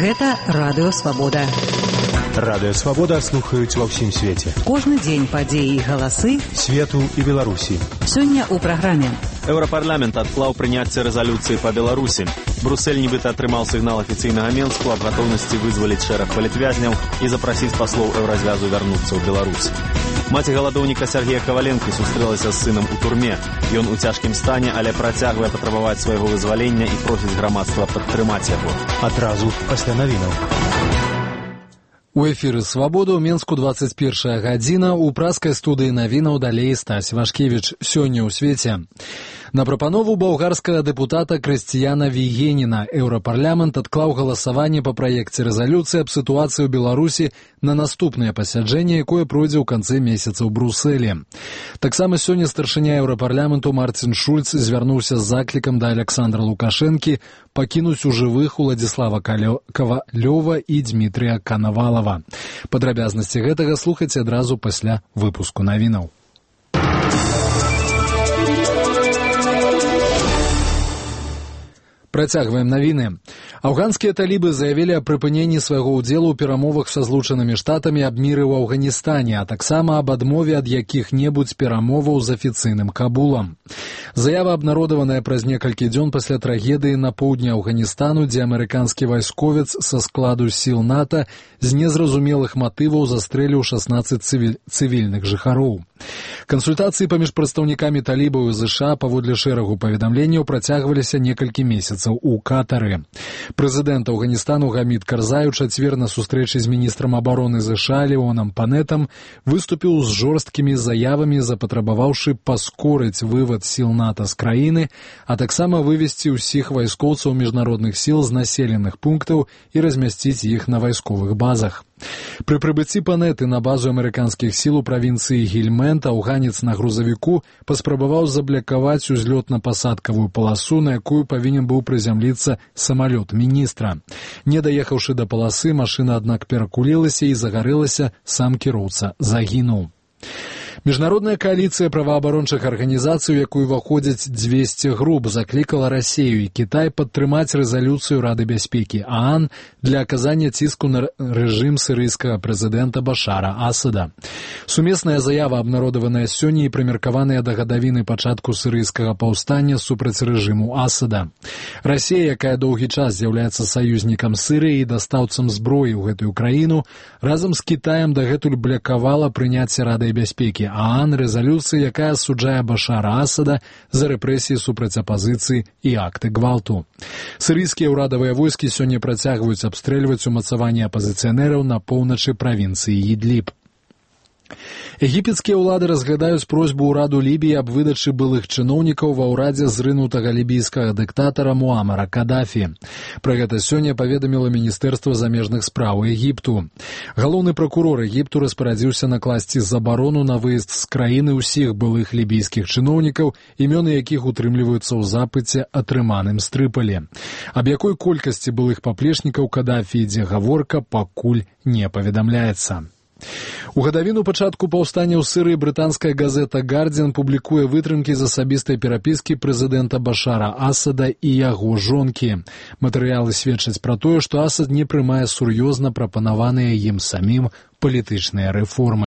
Гэта Радыё Свабода. Радыё Свабода слухаюць ва ўсім свеце. Кожны дзень падзеі і галасы свету і Беларусі. Сёння ў праграме. Еўрапарламент адклаў прыняцце рэзалюцыі па Беларусі. Брюссель нібыта атрымаў сігнал афіцыйнага Менску аб гатоўнасці вызваліць шэраг палітвязняў і запрасіць паслоў Еўразвязу вярнуцца ў Беларусь. Маці галадоўніка Сергея Каваленкі сустрэлася з сынам у турме. Ён у цяжкім стане, але працягвае патрабаваць свайго вызвалення і просіць грамадства падтрымаць яго. Адразу пасля навінаў. У эфіры «Свабода» ў Менску 21 гадзіна. У праскай студыі навінаў далей Стась Вашкевіч. Сёння ў свеце. На прапанову балгарскага дэпутата Крысціяна Вігеніна Еўрапарламент адклаў галасаванне па праекце рэзалюцыі аб сітуацыі ў Беларусі на наступнае пасяджэнне, якое пройдзе ў канцы месяца ў Брюсселі. Таксама сёння старшыня Еўрапарламенту Марцін Шульц звярнуўся з заклікам да Александра Лукашэнкі пакінуць у жывых Уладзіслава Кавалёва і Дмітрія Канавалава. Падрабязнасці гэтага слухайце адразу пасля выпуску навінаў. Працягваем навіны. Афганскія талібы заявілі аб прыпыненні свайго ўдзелу ў перамовах са Злучанымі Штатамі аб міры ў Афганістане, а таксама аб адмове ад якіх-небудзь перамоваў з афіцыйным Кабулам. Заява абнародаваная праз некалькі дзён пасля трагедыі на поўдні Афганістану, дзе амерыканскі вайсковец са складу сіл НАТО з незразумелых матываў застрэліў 16 цывільных жыхароў. Кансультацыі паміж прадстаўнікамі талібаў і ЗША паводле шэрагу паведамленняў працягваліся некалькі месяцаў у Катары. Прэзідэнт Афганістану Гамід Карзай у чацвер на сустрэчы з міністрам абароны ЗША Леонам Панетам выступіў з жорсткімі заявамі, запатрабаваўшы паскорыць вывад сіл НАТО з краіны, а таксама вывесці ўсіх вайскоўцаў міжнародных сіл з населеных пунктаў і размясціць іх на вайсковых базах. Пры прыбыцці Панеты на базу амерыканскіх сіл у правінцыі Гільмент афганец на грузавіку паспрабаваў заблакаваць узлётна-пасадкавую паласу, на якую павінен быў прызямліцца самалёт міністра. Не даехаўшы да паласы, машына, аднак, перакулілася і загарэлася, сам кіроўца загінуў. Міжнародная кааліцыя праваабарончых арганізацый, у якую ўваходзяць 200 груп, заклікала Расію і Кітай падтрымаць рэзалюцыю Рады бяспекі ААН для аказання ціску на рэжым сірыйскага прэзідэнта Башара Асада. Сумесная заява, абнародаваная сёння і прымеркаваная да гадавіны пачатку сірыйскага паўстання супраць рэжыму Асада. Расія, якая доўгі час з'яўляецца саюзнікам Сірыі і дастаўцам зброі ў гэтую краіну, разам з Кітаем дагэтуль блакавала прыняцце Радай бяспекі ААН рэзалюцыі, якая асуджае Башара Асада за рэпрэсіі супраць апазіцыі і акты гвалту. Сірыйскія ўрадавыя войскі сёння працягваюць абстрэльваць умацаванні апазіцыянераў на поўначы правінцыі Ідліб. Егіпецкія ўлады разглядаюць просьбу ўраду Лібіі аб выдачы былых чыноўнікаў ва ўрадзе зрынутага лібійскага дыктатара Муамара Кадафі. Пра гэта сёння паведаміла Міністэрства замежных спраў Егіпту. Галоўны пракурор Егіпту распарадзіўся накласці забарону на выезд з краіны ўсіх былых лібійскіх чыноўнікаў, імёны якіх утрымліваюцца ў запыце, атрыманым з Трыполі. Аб якой колькасці былых паплечнікаў Кадафі ідзе гаворка, пакуль не паведамляецца. У гадавіну пачатку паўстання ў Сірыі брытанская газета «Гардзіан» публікуе вытрымкі з асабістай перапіскі прэзідэнта Башара Асада і яго жонкі. Матэрыялы сведчаць пра тое, што Асад не прымае сур'ёзна прапанаваныя ім самім палітычныя рэформы.